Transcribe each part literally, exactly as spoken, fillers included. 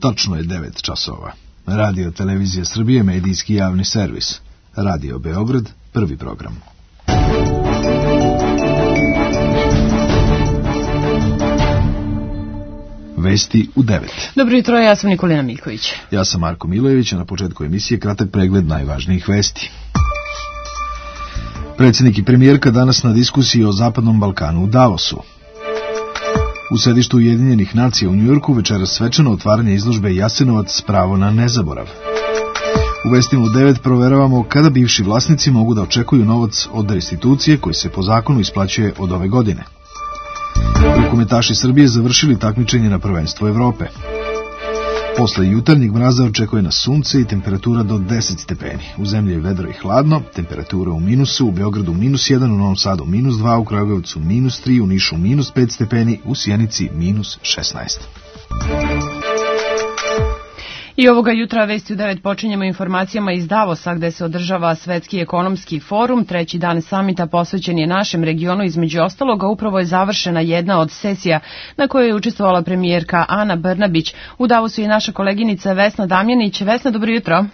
Tačno je devet časova. Radio Televizija Srbije, medijski javni servis. Radio Beograd, prvi program. Vesti u devet. Dobro jutro, ja sam Nikolina Miljković. Ja sam Marko Milojević, a na početku emisije kratak pregled najvažnijih vesti. Predsjednik i premijerka danas na diskusiji o Zapadnom Balkanu u Davosu. U sedištu Ujedinjenih nacija u Njujorku večeras svečano otvaranje izložbe Jasenovac, pravo na nezaborav. U vestima u devet proveravamo kada bivši vlasnici mogu da očekuju novac od restitucije koji se po zakonu isplaćuje od ove godine. Rukometaši Srbije završili takmičenje na prvenstvo Evrope. Posle jutarnjeg mraza očekuje nas sunce i temperatura do deset stepeni. U zemlji je vedro i hladno, temperatura u minusu, u Beogradu minus jedan, u Novom Sadu minus dva, u Kragujevcu minus tri, u Nišu minus pet stepeni, u Sjenici minus šesnaest. I ovoga jutra vesti u devet počinjemo informacijama iz Davosa gde se održava Svetski ekonomski forum. Treći dan samita posvećen je našem regionu, između ostaloga upravo je završena jedna od sesija na kojoj je učestvovala premijerka Ana Brnabić. U Davosu je naša koleginica Vesna Damjanić. Vesna, dobro jutro.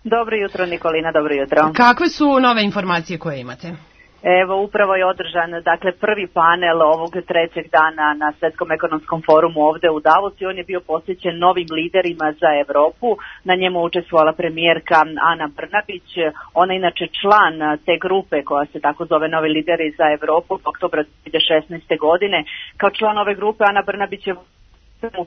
Dobro jutro, Nikolina, dobro jutro. Kakve su nove informacije koje imate? Evo, upravo je održan, dakle, prvi panel ovog trećeg dana na Svetskom ekonomskom forumu ovde u Davosu i on je bio posvećen novim liderima za Evropu. Na njemu učestvovala premijerka Ana Brnabić. Ona je inače član te grupe koja se tako zove Novi lideri za Evropu od oktobra dve hiljade šesnaeste. godine. Kao član ove grupe Ana Brnabić je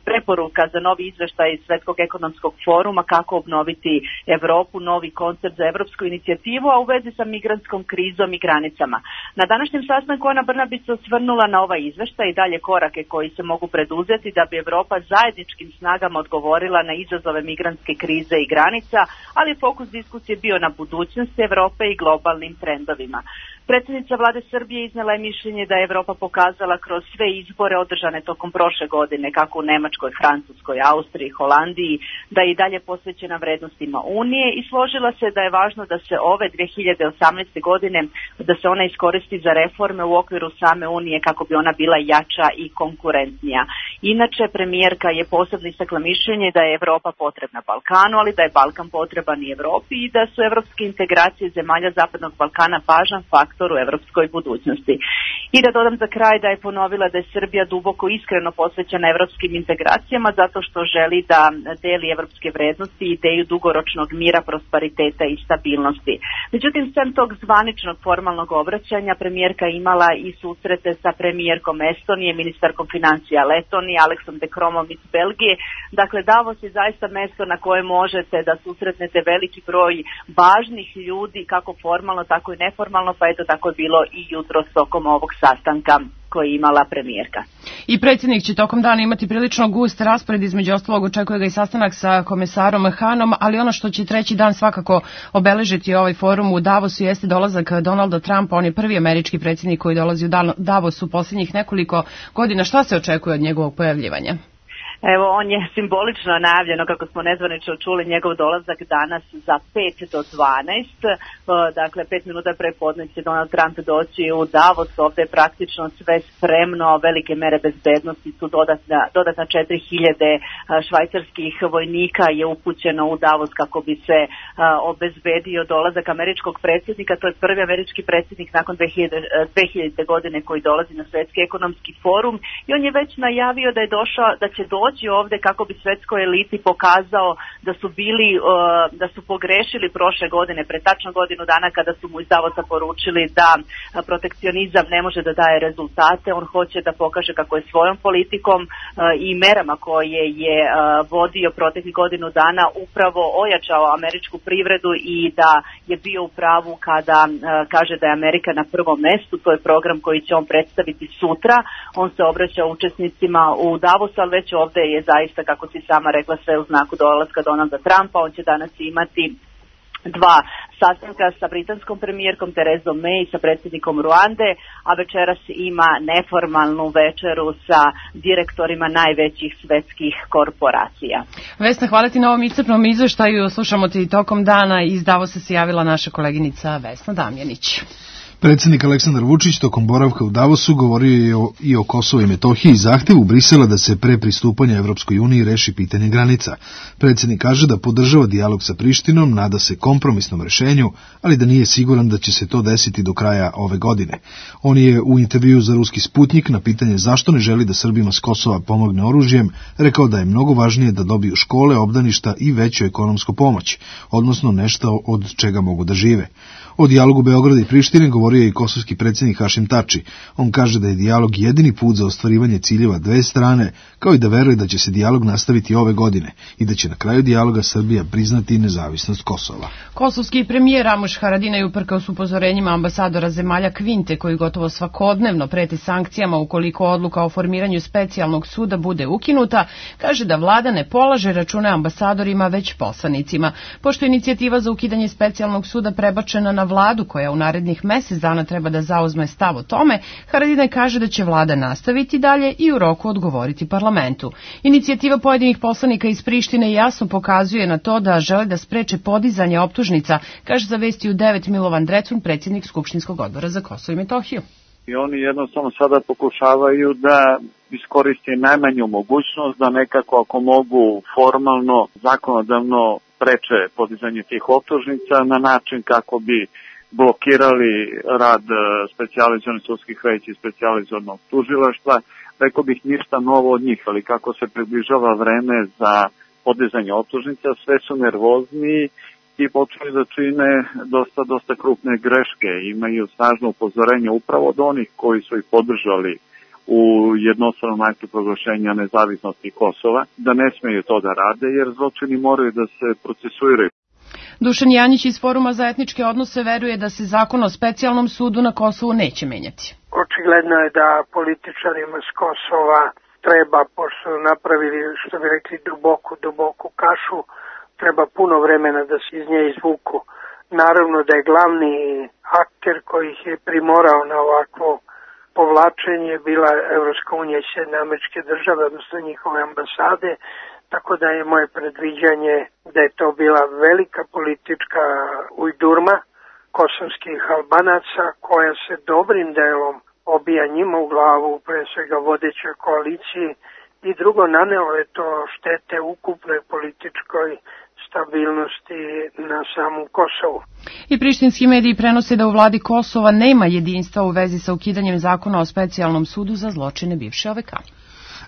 preporuka za novi izveštaj Svetskog ekonomskog foruma kako obnoviti Evropu, novi koncept za evropsku inicijativu, a u vezi sa migrantskom krizom i granicama. Na današnjem sastanku Ana Brnabić se osvrnula na ovaj izveštaj i dalje korake koji se mogu preduzeti da bi Evropa zajedničkim snagama odgovorila na izazove migrantske krize i granica, ali fokus diskusije bio na budućnosti Evrope i globalnim trendovima. Predsjednica vlade Srbije iznela je mišljenje da je Evropa pokazala kroz sve izbore održane tokom prošle godine, kako u Nemačkoj, Francuskoj, Austriji, Holandiji, da je i dalje posvećena vrednostima Unije i složila se da je važno da se ove dve hiljade osamnaeste. godine, da se ona iskoristi za reforme u okviru same Unije kako bi ona bila jača i konkurentnija. Inače, premijerka je posebno istakla mišljenje da je Evropa potrebna Balkanu, ali da je Balkan potreban i Evropi i da su evropske integracije zemalja Zapadnog Balkana važan faktor u evropskoj budućnosti. I da dodam za kraj da je ponovila da je Srbija duboko iskreno posvećena evropskim integracijama zato što želi da deli evropske vrednosti i ideju dugoročnog mira, prosperiteta i stabilnosti. Međutim, sem tog zvaničnog formalnog obraćanja, premijerka imala i susrete sa premijerkom Estonije, ministarkom financija Letonije, Aleksom de Cromom iz Belgije. Dakle, Davos je zaista mesto na koje možete da susretnete veliki broj važnih ljudi, kako formalno, tako i neformalno, pa eto tako je bilo i jutro tokom ovog sastanka koji je imala premijerka. I predsjednik će tokom dana imati prilično gust raspored, između ostalog očekuje ga i sastanak sa komesarom Hanom, ali ono što će treći dan svakako obeležiti ovaj forum u Davosu jeste dolazak Donalda Trumpa. On je prvi američki predsjednik koji dolazi u Davos u posljednjih nekoliko godina. Šta se očekuje od njegovog pojavljivanja? Evo, on je simbolično najavljeno, kako smo nezvanično čuli, njegov dolazak danas za pet do dvanaest. Dakle, pet minuta pre podne će Donald Trump doći u Davos. Ovde je praktično sve spremno, velike mere bezbednosti su dodatna, dodatna četiri hiljade švajcarskih vojnika je upućeno u Davos kako bi se obezbedio dolazak američkog predsjednika. To je prvi američki predsjednik nakon dve hiljadite. godine koji dolazi na Svetski ekonomski forum i on je već najavio da je došao, da će doći ovde kako bi svetskoj eliti pokazao da su bili, da su pogrešili prošle godine, pre tačno godinu dana kada su mu iz Davosa poručili da protekcionizam ne može da daje rezultate. On hoće da pokaže kako je svojom politikom i merama koje je vodio proteklih godinu dana upravo ojačao američku privredu i da je bio u pravu kada kaže da je Amerika na prvom mestu. To je program koji će on predstaviti sutra. On se obraća učesnicima u Davosu, ali već ovde je zaista, kako si sama rekla, sve u znaku dolaska Donalda Trumpa. On će danas imati dva sastanka sa britanskom premijerkom Terezom May i sa predsjednikom Ruande, a večeras ima neformalnu večeru sa direktorima najvećih svetskih korporacija. Vesna, hvala ti na ovom iscrpnom izveštaju. Slušamo ti tokom dana. Iz Davosa se javila naša koleginica Vesna Damjanić. Predsjednik Aleksandar Vučić tokom boravka u Davosu govorio je o, i o Kosovu i Metohiji i zahtevu Brisela da se pre pristupanja Evropskoj uniji reši pitanje granica. Predsjednik kaže da podržava dijalog sa Prištinom, nada se kompromisnom rešenju, ali da nije siguran da će se to desiti do kraja ove godine. On je u intervjuu za Ruski Sputnik na pitanje zašto ne želi da Srbima s Kosova pomogne oružjem rekao da je mnogo važnije da dobiju škole, obdaništa i veću ekonomsku pomoć, odnosno nešto od čega mogu da žive. O dijalogu Beograda i Prištine govorio je i kosovski predsjednik Hašim Tači. On kaže da je dijalog jedini put za ostvarivanje ciljeva dve strane, kao i da veruje da će se dijalog nastaviti ove godine i da će na kraju dijaloga Srbija priznati nezavisnost Kosova. Kosovski premijer Ramuš Haradinaj uprkos upozorenjima ambasadora zemalja Kvinte koji gotovo svakodnevno preti sankcijama ukoliko odluka o formiranju specijalnog suda bude ukinuta, kaže da vlada ne polaže račune ambasadorima već poslanicima. Pošto je inicijativa za ukidanje specijalnog suda prebačena na vladu koja u narednih mjesec dana treba da zauzme stav o tome, Haradinaj kaže da će vlada nastaviti dalje i u roku odgovoriti parlamentu. Inicijativa pojedinih poslanika iz Prištine jasno pokazuje na to da žele da spreče podizanje optužnica, kaže za Vesti u devet Milovan Drecun, predsjednik Skupštinskog odbora za Kosovo i Metohiju. I oni jednostavno sada pokušavaju da iskoriste najmanju mogućnost da nekako ako mogu formalno, zakonodavno preče podizanje tih optužnica na način kako bi blokirali rad specijalizovanih sudskih veća i specijalizovanog tužilaštva. Rekao bih ništa novo od njih, ali kako se približava vreme za podizanje optužnica, sve su nervozniji i počeli da čine dosta, dosta krupne greške. Imaju snažno upozorenje upravo od onih koji su ih podržali u jednostranom aktu proglašenja nezavisnosti Kosova, da ne smeju to da rade, jer zločini moraju da se procesuiraju. Dušan Janjić iz Foruma za etničke odnose veruje da se zakon o specijalnom sudu na Kosovu neće menjati. Očigledno je da političarima s Kosova treba, pošto su napravili, što bi rekli, duboku, duboku kašu, treba puno vremena da se iz nje izvuku. Naravno da je glavni akter koji ih je primorao na ovakvo povlačenje bila Evropska unija i Sjedinjene Američke Države, odnosno njihove ambasade, tako da je moje predviđanje da je to bila velika politička ujdurma kosovskih Albanaca koja se dobrim delom obija njima u glavu, pre svega vodećoj koaliciji, i drugo, nanelo je to štete ukupnoj političkoj stabilnosti na samom Kosovu. I prištinski mediji prenose da u vladi Kosova nema jedinstva u vezi sa ukidanjem zakona o specijalnom sudu za zločine bivše O V K.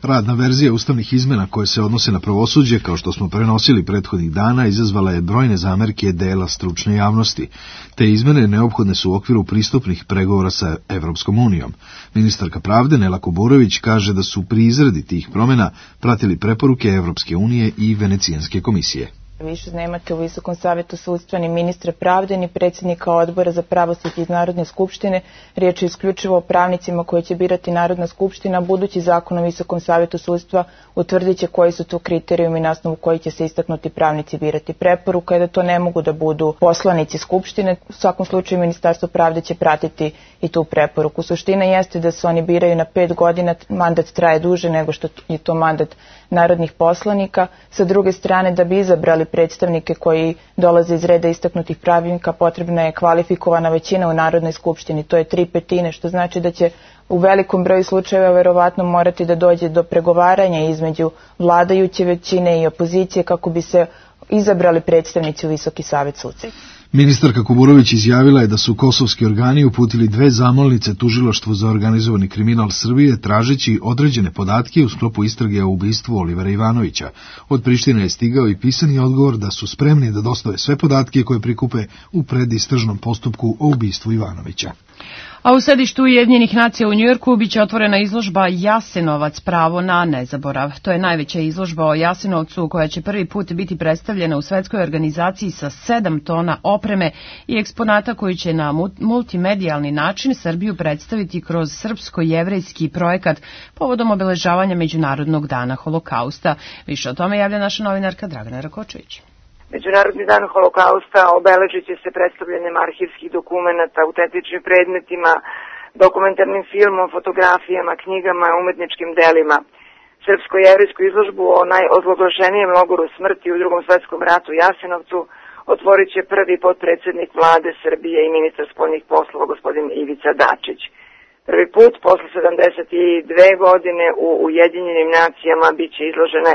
Radna verzija ustavnih izmena koje se odnose na pravosuđe, kao što smo prenosili prethodnih dana, izazvala je brojne zamerke dela stručne javnosti. Te izmene neophodne su u okviru pristupnih pregovora sa Evropskom unijom. Ministarka pravde Nela Kuburović kaže da su pri izradi tih promjena pratili preporuke Evropske unije i Venecijanske komisije. Više nemate u Visokom savjetu sudstva ni ministra pravde, ni predsjednika odbora za pravosuđe iz Narodne skupštine. Riječ je isključivo o pravnicima koje će birati Narodna skupština. Budući zakon o Visokom savjetu sudstva utvrdit će koji su to kriterijumi na osnovu koji će se istaknuti pravnici birati. Preporuka je da to ne mogu da budu poslanici skupštine. U svakom slučaju Ministarstvo pravde će pratiti i tu preporuku. Suština jeste da se oni biraju na pet godina, mandat traje duže nego što je to mandat narodnih poslanika. Sa druge strane, da bi izabrali predstavnike koji dolaze iz reda istaknutih pravnika, potrebna je kvalifikovana većina u Narodnoj skupštini, to je tri petine, što znači da će u velikom broju slučajeva verovatno morati da dođe do pregovaranja između vladajuće većine i opozicije kako bi se izabrali predstavnici u Visoki savet sudstva. Ministarka Kuburović izjavila je da su kosovski organi uputili dve zamolnice tužilaštvu za organizovani kriminal Srbije tražeći određene podatke u sklopu istrage o ubistvu Olivera Ivanovića. Od Prištine je stigao i pisani odgovor da su spremni da dostave sve podatke koje prikupe u predistražnom postupku o ubistvu Ivanovića. A u sedištu Ujedinjenih nacija u Njujorku biće otvorena izložba Jasenovac, pravo na nezaborav. To je najveća izložba o Jasenovcu koja će prvi put biti predstavljena u svetskoj organizaciji sa sedam tona opreme i eksponata koji će na multimedijalni način Srbiju predstaviti kroz srpsko-jevrejski projekat povodom obeležavanja Međunarodnog dana Holokausta. Više o tome javlja naša novinarka Dragana Rakočević. Međunarodni dan Holokausta obeležit će se predstavljanjem arhivskih dokumenata, autentičnim predmetima, dokumentarnim filmom, fotografijama, knjigama, umetničkim delima. Srpsko-jevrijsku izložbu o najozloglašenijem logoru smrti u Drugom svetskom ratu Jasenovcu otvorit će prvi potpredsjednik vlade Srbije i ministar spoljnih poslova gospodin Ivica Dačić. Prvi put posle sedamdeset dve godine u Ujedinjenim nacijama bit će izložene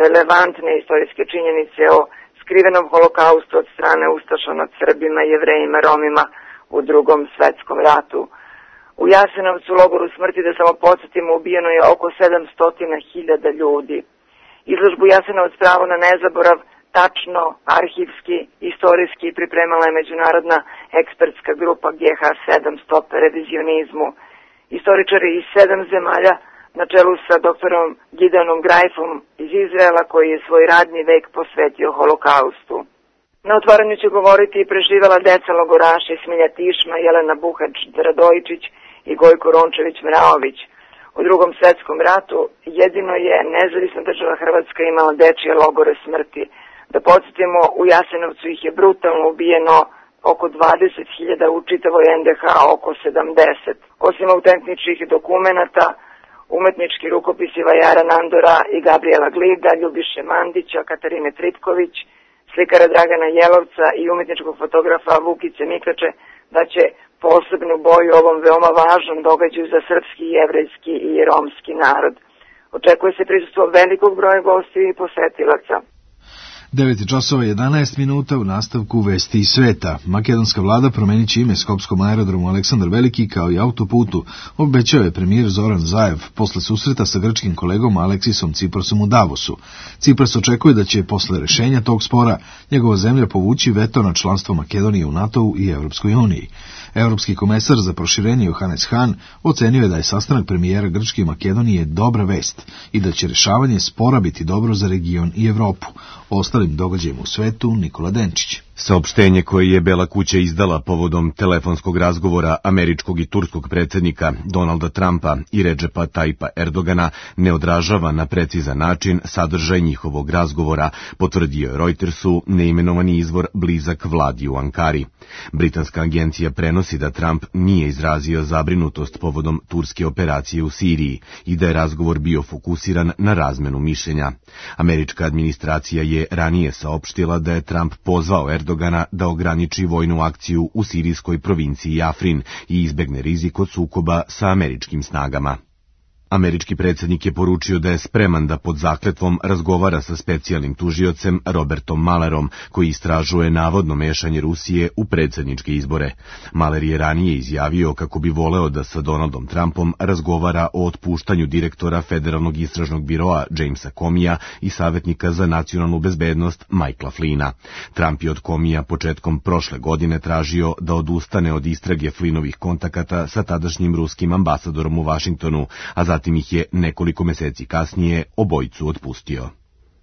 relevantne istorijske činjenice o skrivenom holokaustu od strane ustaša nad Srbima, Jevrejima, Romima u drugom svetskom ratu. U Jasenovcu, logoru smrti, da samo podsjetimo, ubijeno je oko sedamsto hiljada ljudi. Izložbu Jasenovac pravo na nezaborav tačno, arhivski, istorijski pripremala je međunarodna ekspertska grupa G H sedam Stop revizionizmu. Istoričari iz sedam zemalja na čelu sa doktorom Gideonom Grajfom iz Izraela, koji je svoj radni vek posvetio holokaustu. Na otvaranju će govoriti i preživela deca logoraša Smilja Tišma, Jelena Buhač-Radojičić i Gojko Rončević-Mraović. U drugom svetskom ratu jedino je nezavisna država Hrvatska imala dečije logore smrti. Da podsjetimo, u Jasenovcu ih je brutalno ubijeno oko dvadeset hiljada, u čitavoj N D H oko sedamdeset. Osim autentičnih dokumenata, umetnički rukopisi Vajara Nandora i Gabriela Glida, Ljubiše Mandića, Katarine Tripković, slikara Dragana Jelovca i umetničkog fotografa Vukice Mikače da će posebnu boju ovom veoma važnom događaju za srpski, jevrejski i romski narod. Očekuje se prisustvo velikog broja gostiju i posetilaca. devet časova jedanaest minuta, u nastavku vesti iz sveta. Makedonska vlada promenit će ime skopskom aerodromu Aleksandar Veliki kao i autoputu, obećao je premijer Zoran Zaev posle susreta sa grčkim kolegom Aleksisom Ciprasom u Davosu. Cipras očekuje da će posle rešenja tog spora njegova zemlja povući veto na članstvo Makedonije u NATO-u i Evropskoj uniji. Evropski komesar za proširenje Johannes Hahn ocenio je da je sastanak premijera Grčke i Makedonije dobra vest i da će rešavanje spora biti dobro za region i Evropu. O ostalim događajima u svetu Nikola Denčić. Saopštenje koje je Bela kuća izdala povodom telefonskog razgovora američkog i turskog predsjednika Donalda Trumpa i Redžepa Tajpa Erdogana ne odražava na precizan način sadržaj njihovog razgovora, potvrdio je Reutersu neimenovani izvor blizak vladi u Ankari. Britanska agencija prenosi da Trump nije izrazio zabrinutost povodom turske operacije u Siriji i da je razgovor bio fokusiran na razmenu mišljenja. Američka administracija je ranije saopštila da je Trump pozvao Erdogana da ograniči vojnu akciju u sirijskoj provinciji Afrin i izbegne rizik od sukoba sa američkim snagama. Američki predsjednik je poručio da je spreman da pod zakletvom razgovara sa specijalnim tužiocem Robertom Malerom, koji istražuje navodno mešanje Rusije u predsjedničke izbore. Maler je ranije izjavio kako bi voleo da sa Donaldom Trumpom razgovara o otpuštanju direktora Federalnog istražnog biroa Jamesa Comeyja i savjetnika za nacionalnu bezbednost Michaela Flynna. Trump je od Comeyja početkom prošle godine tražio da odustane od istrage Flynnovih kontakata sa tadašnjim ruskim ambasadorom u Vašingtonu, a zatim Zatim ih je nekoliko meseci kasnije obojicu otpustio.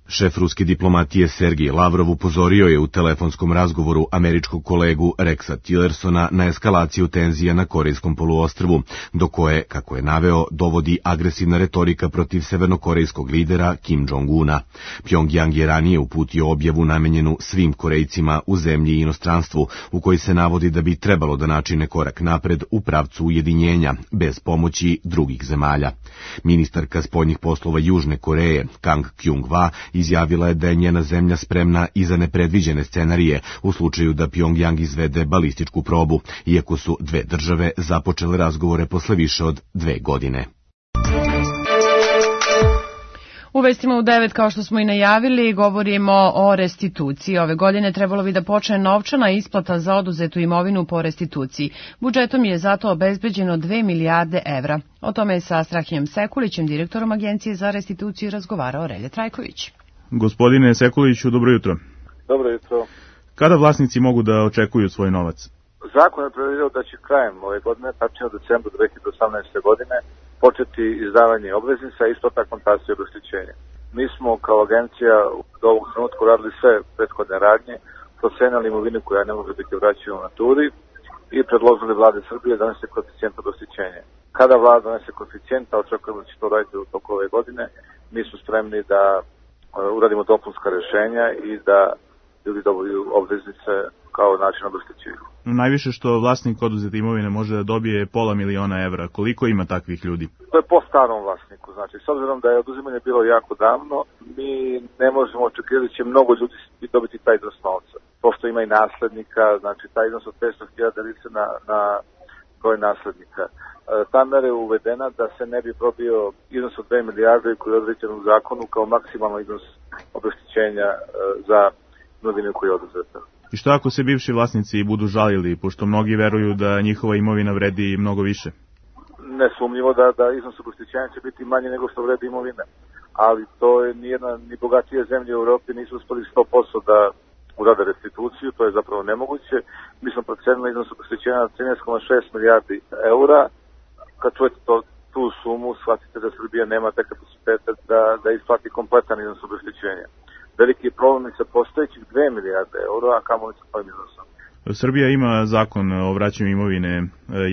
Šef ruske diplomatije Sergej Lavrov upozorio je u telefonskom razgovoru američkog kolegu Rexa Tillersona na eskalaciju tenzija na Korejskom poluostrvu, do koje, kako je naveo, dovodi agresivna retorika protiv severnokorejskog lidera Kim Jong-una. Pjongjang je ranije uputio objavu namenjenu svim Korejcima u zemlji i inostranstvu, u kojoj se navodi da bi trebalo da načine korak napred u pravcu ujedinjenja, bez pomoći drugih zemalja. Ministarka spoljnih poslova Južne Koreje, Kang Kyung-hwa, izjavila je da je njena zemlja spremna i za nepredviđene scenarije u slučaju da Pjongjang izvede balističku probu, iako su dve države započele razgovore posle više od dve godine. U vestima u devet, kao što smo i najavili, govorimo o restituciji. Ove godine trebalo bi da počne novčana isplata za oduzetu imovinu po restituciji. Budžetom je zato obezbeđeno dve milijarde evra. O tome je sa Strahinjom Sekulićem, direktorom Agencije za restituciju, razgovarao Relje Trajković. Gospodine Sekuliću, dobro jutro. Dobro jutro. Kada vlasnici mogu da očekuju svoj novac? Zakon je predvidio da će krajem ove godine, tačnije od decembra dve hiljade osamnaeste. godine, početi izdavanje obveznica i isto tako kontacija obeštećenja. Mi smo kao agencija do ovog trenutka radili sve prethodne radnje, procenili imovinu koja ne može biti vraćena u naturi i predložili vlade Srbije da donese koeficijent obeštećenja. Kada vlada donese koeficijent, a očekujemo da će to raditi u toku ove godine, mi smo spremni da uradimo dopunska rešenja i da ljudi dobiju obveznice kao način obeštećenja. Najviše što vlasnik oduzete imovine može da dobije pola miliona evra. Koliko ima takvih ljudi? To je po starom vlasniku. Znači, s obzirom da je oduzimanje bilo jako davno, mi ne možemo očekivati da će mnogo ljudi dobiti taj iznos novca. pošto ima i naslednika, znači taj iznos od petsto hiljada deli se na, na broj naslednika. E, ta mera je uvedena da se ne bi probio iznos od dve milijarde koji je određen u zakonu kao maksimalno iznos obeštećenja e, za imovinu koji je oduzeta. I što ako se bivši vlasnici budu žalili, pošto mnogi veruju da njihova imovina vredi mnogo više? Nesumnjivo da, da iznos obeštećenja će biti manje nego što vredi imovina. Ali to je nijedna, ni bogatije zemlje u Evropi nisu uspeli sto posto da urade restituciju, to je zapravo nemoguće. Mi smo procenili iznos obeštećenja na trinaest zarez šest milijardi eura. Kad čujete to, tu sumu, shvatite da Srbija nema te kapacitete da, da isplati kompletan iznos obeštećenja. Veliki problem je sa postojećih dve milijarde eura, a kamoli sa tvojim iznosom. Srbija ima zakon o vraćanju imovine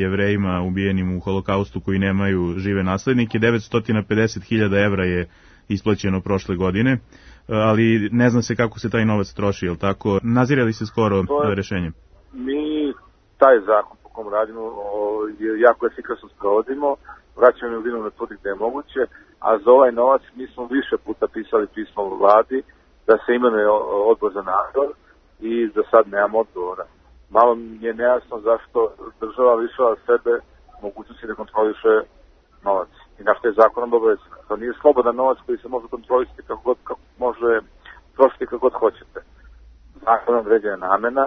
Jevrejima ubijenim u holokaustu koji nemaju žive naslednike. devetsto pedeset hiljada evra je isplaćeno prošle godine, ali ne zna se kako se taj novac troši, jel tako? Nazire li se skoro je, rešenje? Mi taj zakon po kom radimo je jako efikasno sprovodimo, vraćamo imovinu na tvrdi gde je moguće, a za ovaj novac mi smo više puta pisali pismo u vladi da se imenuje odbor za nadzor i za sad nemam odgovora. Malo mi je nejasno zašto država lišava sebe mogućnosti da kontroliše novac. I na što je zakonom obavezano. To nije slobodan novac koji se može kontrolisati kako god, kako može trošiti kako god hoćete. Zakonom određena namena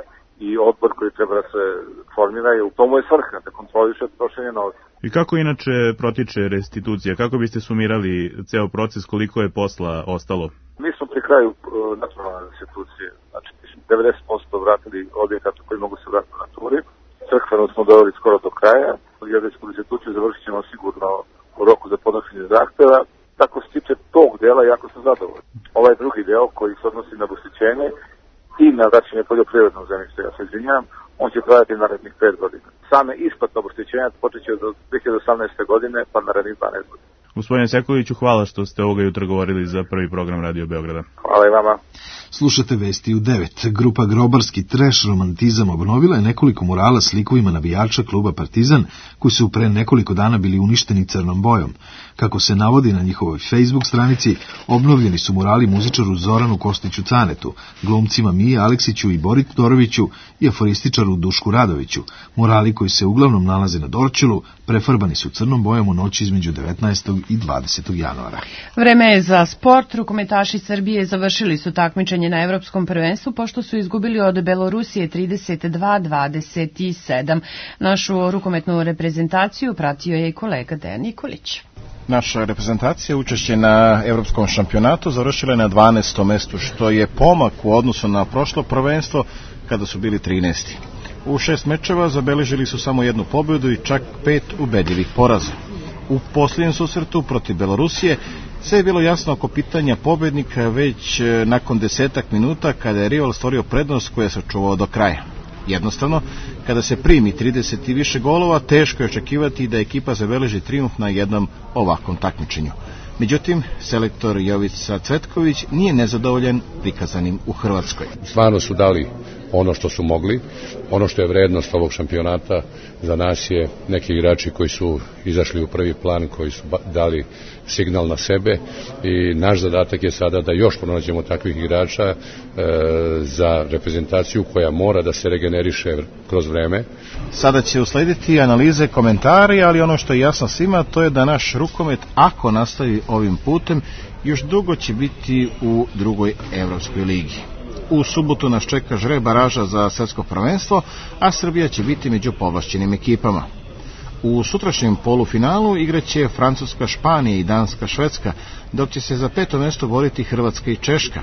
i odbor koji treba da se formira je u tomu je svrha, da kontroliše trošenje novca. I kako inače protiče restitucija? Kako biste sumirali ceo proces, koliko je posla ostalo? Mi smo pri kraju uh, nacionalne restitucije, znači devedeset posto vratili objekata koji mogu se vratiti u naturi. Crkveno smo doveli skoro do kraja, geodetsku restituciju završit ćemo sigurno u roku za podnošenje zahteva. Tako se tiče tog dela, jako sam zadovoljan. Ovaj drugi deo koji se odnosi na obeštećenje i na vraćanje poljoprivrednog zemljišta, ja se izvinjam, on će trajati narednih pet godina. Same isplate obeštećenja počeće od dve hiljade osamnaeste godine pa narednih dvanaest godina. Gospodine Sekuliću, hvala što ste ovoga jutra govorili za prvi program Radio Beograda. Hvala i vama. Slušate vesti u devet. Grupa Grobarski treš romantizam obnovila je nekoliko murala s likovima navijača kluba Partizan, koji su pre nekoliko dana bili uništeni crnom bojom. Kako se navodi na njihovoj Facebook stranici, obnovljeni su murali muzičaru Zoranu Kostiću Canetu, glumcima Miji Aleksiću i Bori Todoroviću i aforističaru Dušku Radoviću. Murali koji se uglavnom nalaze na Dorćolu prefarbani su crnom bojom u noći između devetnaestog i dvadesetog januara. Vreme je za sport. Rukometaši Srbije završili su takmičenje na Evropskom prvenstvu pošto su izgubili od Belorusije trideset dva dvadeset sedam. Našu rukometnu reprezentaciju pratio je i kolega Dejan Nikolić. Naša reprezentacija učešće na Evropskom šampionatu završila je na dvanaestom mestu, što je pomak u odnosu na prošlo prvenstvo kada su bili trinaesti. U šest mečeva zabeležili su samo jednu pobjedu i čak pet ubedljivih poraza. U posljednjem susretu protiv Belorusije sve je bilo jasno oko pitanja pobednika već nakon desetak minuta kada je rival stvorio prednost koja se čuvao do kraja. Jednostavno, kada se primi trideset i više golova, teško je očekivati da ekipa zabeleži trijumf na jednom ovakvom takmičenju. Međutim, selektor Jovica Cvetković nije nezadovoljan prikazanim u Hrvatskoj. Stvarno su dali ono što su mogli, ono što je vrednost ovog šampionata za nas je neki igrači koji su izašli u prvi plan, koji su dali signal na sebe i naš zadatak je sada da još pronađemo takvih igrača e, za reprezentaciju koja mora da se regeneriše kroz vreme. Sada će uslediti analize, komentari, ali ono što je jasno svima to je da naš rukomet, ako nastavi ovim putem, još dugo će biti u drugoj Evropskoj ligi. U subotu nas čeka žreb baraža za svetsko prvenstvo, a Srbija će biti među povlašćenim ekipama. U sutrašnjem polufinalu igraće Francuska, Španija i Danska, Švedska, dok će se za peto mesto boriti Hrvatska i Češka.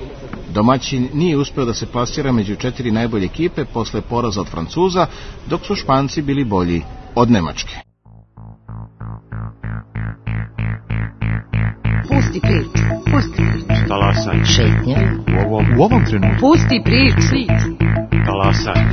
Domaćin nije uspeo da se plasira među četiri najbolje ekipe posle poraza od Francuza, dok su Španci bili bolji od Nemačke. Pusti priču, pusti priču. Talasaj. Šetnja. U ovom, u ovom trenutku. Pusti priču. Talasaj.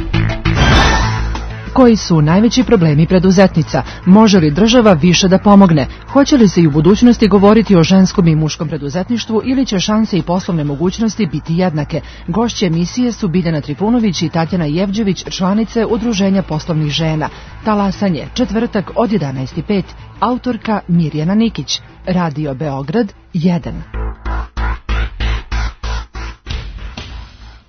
Koji su najveći problemi preduzetnica? Može li država više da pomogne? Hoće li se i u budućnosti govoriti o ženskom i muškom preduzetništvu ili će šanse i poslovne mogućnosti biti jednake? Gošće emisije su Biljana Trifunović i Tatjana Jevđević, članice Udruženja poslovnih žena. Talasanje, četvrtak od jedanaest i pet. Autorka Mirjana Nikić. Radio Beograd jedan.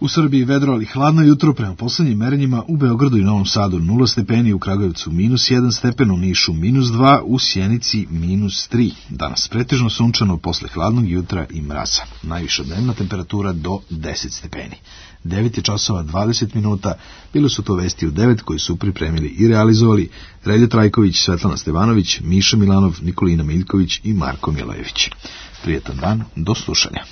U Srbiji vedro, ali hladno jutro prema poslednjim merenjima u Beogradu i Novom Sadu nula stepeni, u Kragujevcu minus jedan stepen, u Nišu minus dva, u Sjenici minus tri. Danas pretežno sunčano posle hladnog jutra i mraza. Najviša dnevna temperatura do deset stepeni. devet je časova dvadeset minuta, bile su to vesti u devet koji su pripremili i realizovali Relja Trajković, Svetlana Stevanović, Miša Milanov, Nikolina Miljković i Marko Milojević. Prijetan dan, do slušanja.